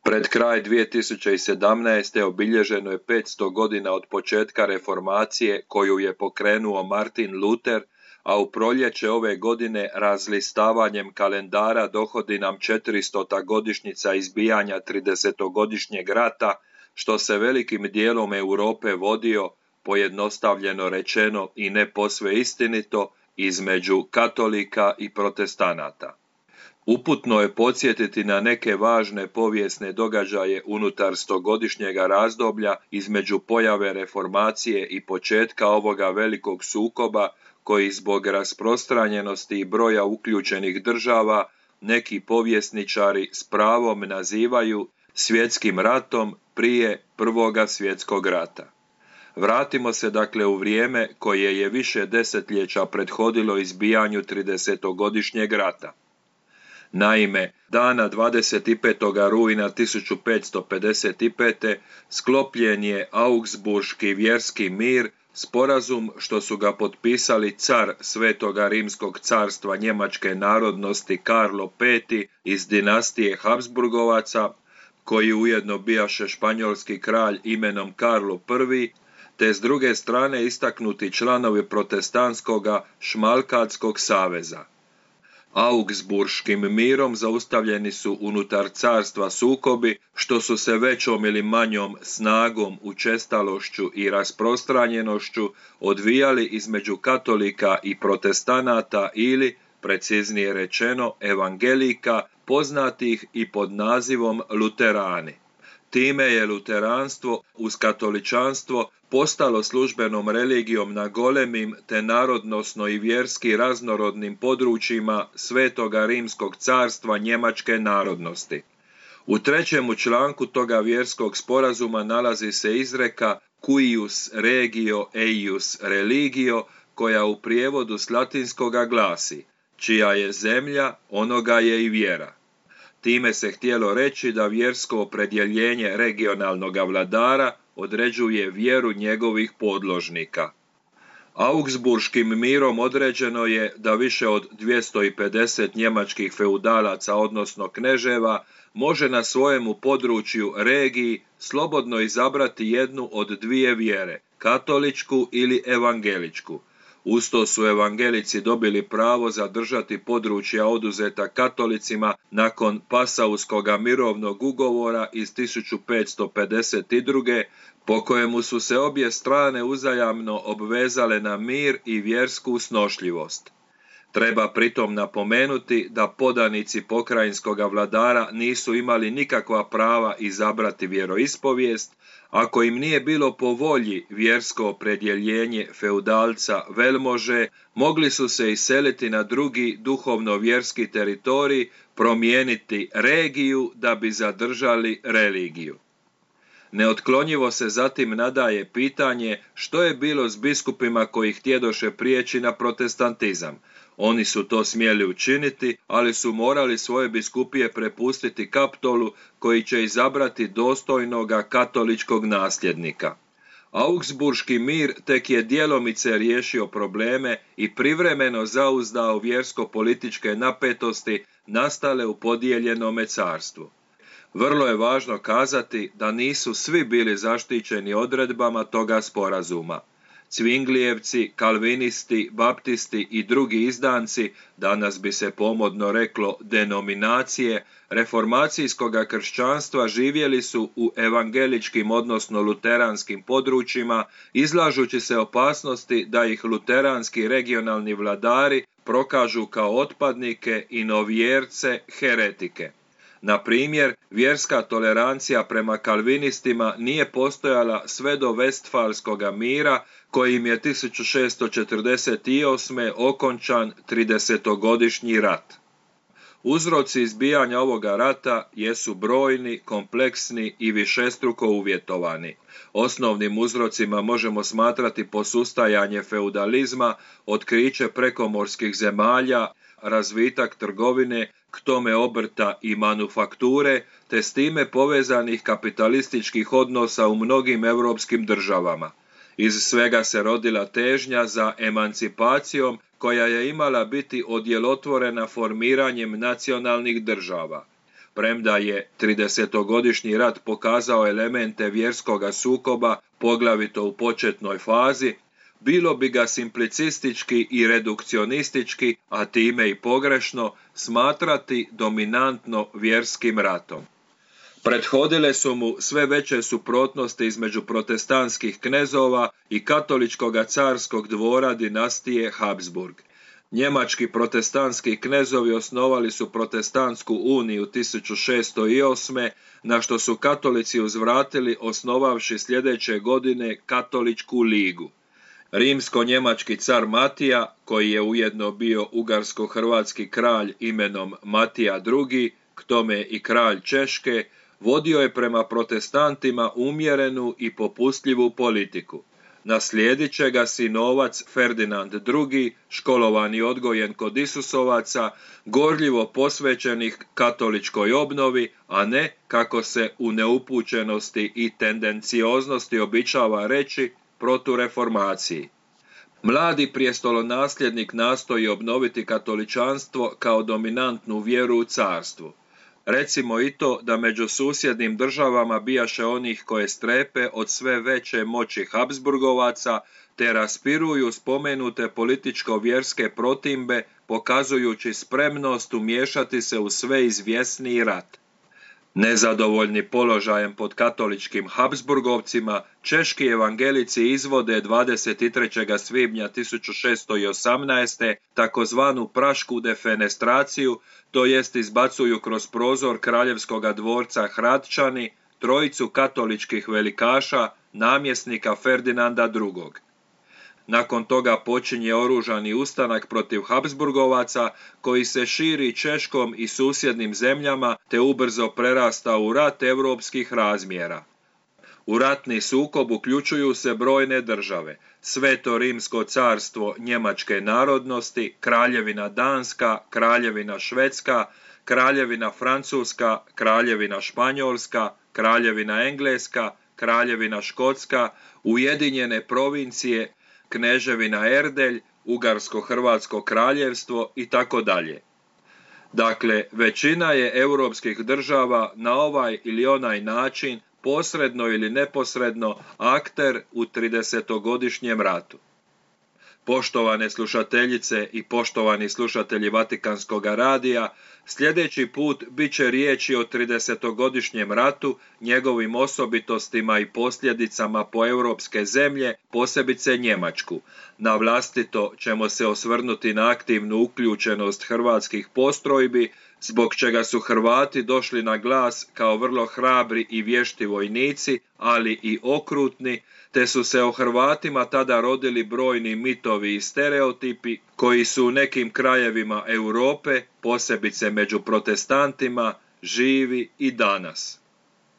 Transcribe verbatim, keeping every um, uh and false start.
Pred kraj dvije tisuće sedamnaeste. obilježeno je petsto godina od početka reformacije koju je pokrenuo Martin Luther, a u proljeće ove godine razlistavanjem kalendara dohodi nam četiristota godišnjica izbijanja tridesetogodišnjeg rata, što se velikim dijelom Europe vodio, pojednostavljeno rečeno i ne posve istinito, između katolika i protestanata. Uputno je podsjetiti na neke važne povijesne događaje unutar stogodišnjega razdoblja između pojave reformacije i početka ovoga velikog sukoba koji zbog rasprostranjenosti i broja uključenih država neki povjesničari s pravom nazivaju svjetskim ratom prije Prvoga svjetskog rata. Vratimo se dakle u vrijeme koje je više desetljeća prethodilo izbijanju tridesetogodišnjeg rata. Naime, dana dvadeset petog rujna tisuću petsto pedeset pete. sklopljen je Augsburški vjerski mir, sporazum što su ga potpisali car Svetoga Rimskog carstva njemačke narodnosti Karlo peti iz dinastije Habsburgovaca, koji ujedno bijaše španjolski kralj imenom Karlo prvi, te s druge strane istaknuti članovi protestantskoga Šmalkatskog saveza. Augsburškim mirom zaustavljeni su unutar carstva sukobi što su se većom ili manjom snagom, učestalošću i rasprostranjenošću odvijali između katolika i protestanata ili, preciznije rečeno, evangelika, poznatih i pod nazivom luterani. Time je luteranstvo uz katoličanstvo postalo službenom religijom na golemim te narodnosno i vjerski raznorodnim područjima Svetoga Rimskog carstva njemačke narodnosti. U trećemu članku toga vjerskog sporazuma nalazi se izreka cuius regio eius religio, koja u prijevodu s latinskoga glasi: čija je zemlja, onoga je i vjera. Time se htjelo reći da vjersko opredjeljenje regionalnog vladara određuje vjeru njegovih podložnika. Augsburškim mirom određeno je da više od dvjesto pedeset njemačkih feudalaca, odnosno kneževa, može na svojemu području regiji slobodno izabrati jednu od dvije vjere, katoličku ili evangeličku. Usto su evangelici dobili pravo zadržati područja oduzeta katolicima nakon Pasauskoga mirovnog ugovora iz tisuću petsto pedeset druge. po kojemu su se obje strane uzajamno obvezale na mir i vjersku snošljivost. Treba pritom napomenuti da podanici pokrajinskoga vladara nisu imali nikakva prava izabrati vjeroispovijest, ako im nije bilo po volji vjersko opredjeljenje feudalca velmože, mogli su se iseliti na drugi duhovno-vjerski teritorij, promijeniti regiju da bi zadržali religiju. Neotklonjivo se zatim nadaje pitanje što je bilo s biskupima koji htjedoše prijeći na protestantizam. Oni su to smjeli učiniti, ali su morali svoje biskupije prepustiti kaptolu koji će izabrati dostojnoga katoličkog nasljednika. Augsburški mir tek je djelomice riješio probleme i privremeno zauzdao vjersko-političke napetosti nastale u podijeljenome carstvu. Vrlo je važno kazati da nisu svi bili zaštićeni odredbama toga sporazuma. Cvinglijevci, kalvinisti, baptisti i drugi izdanci, danas bi se pomodno reklo denominacije, reformacijskoga kršćanstva živjeli su u evangeličkim odnosno luteranskim područjima, izlažući se opasnosti da ih luteranski regionalni vladari prokažu kao otpadnike i novjerce, heretike. Na primjer, vjerska tolerancija prema kalvinistima nije postojala sve do Vestfalskoga mira, kojim je tisuću šessto četrdeset osme. okončan tridesetogodišnji rat. Uzroci izbijanja ovoga rata jesu brojni, kompleksni i višestruko uvjetovani. Osnovnim uzrocima možemo smatrati posustajanje feudalizma, otkriće prekomorskih zemalja, razvitak trgovine, k tome obrta i manufakture, te s time povezanih kapitalističkih odnosa u mnogim europskim državama. Iz svega se rodila težnja za emancipacijom koja je imala biti odjelotvorena formiranjem nacionalnih država. premda je tridesetogodišnji rat pokazao elemente vjerskoga sukoba, poglavito u početnoj fazi, bilo bi ga simplicistički i redukcionistički, a time i pogrešno, smatrati dominantno vjerskim ratom. Prethodile su mu sve veće suprotnosti između protestantskih knezova i katoličkoga carskog dvora dinastije Habsburg. Njemački protestantski knezovi osnovali su protestantsku uniju tisuću šessto osme, na što su katolici uzvratili osnovavši sljedeće godine katoličku ligu. Rimsko-njemački car Matija, koji je ujedno bio ugarsko-hrvatski kralj imenom Matija drugi, k tome i kralj Češke, vodio je prema protestantima umjerenu i popustljivu politiku. Naslijedit će ga sinovac Ferdinand drugi, školovan i odgojen kod Isusovaca, gorljivo posvećenih katoličkoj obnovi, a ne, kako se u neupućenosti i tendencioznosti običava reći, protureformaciji. Mladi prijestolonasljednik nastoji obnoviti katoličanstvo kao dominantnu vjeru u carstvu. Recimo i to da među susjednim državama bijaše onih koje strepe od sve veće moći Habsburgovaca te raspiruju spomenute političko-vjerske protimbe, pokazujući spremnost umiješati se u sve izvjesniji rat. Nezadovoljni položajem pod katoličkim Habsburgovcima, češki evangelici izvode dvadeset trećeg svibnja tisuću šessto osamnaeste takozvanu prašku defenestraciju, to jest izbacuju kroz prozor kraljevskoga dvorca Hradčani trojicu katoličkih velikaša, namjesnika Ferdinanda drugog. Nakon toga počinje oružani ustanak protiv Habsburgovaca koji se širi Češkom i susjednim zemljama te ubrzo prerasta u rat europskih razmjera. U ratni sukob uključuju se brojne države: Sveto Rimsko carstvo njemačke narodnosti, Kraljevina Danska, Kraljevina Švedska, Kraljevina Francuska, Kraljevina Španjolska, Kraljevina Engleska, Kraljevina Škotska, Ujedinjene provincije, Kneževina Erdelj, Ugarsko-Hrvatsko kraljevstvo i tako dalje. Dakle, većina je europskih država na ovaj ili onaj način, posredno ili neposredno, akter u tridesetogodišnjem ratu. Poštovane slušateljice i poštovani slušatelji Vatikanskog radija, sljedeći put bit će riječi o tridesetogodišnjem ratu, njegovim osobitostima i posljedicama po europske zemlje, posebice Njemačku. Na vlastito ćemo se osvrnuti na aktivnu uključenost hrvatskih postrojbi, zbog čega su Hrvati došli na glas kao vrlo hrabri i vješti vojnici, ali i okrutni, te su se o Hrvatima tada rodili brojni mitovi i stereotipi koji su u nekim krajevima Europe, posebice među protestantima, živi i danas.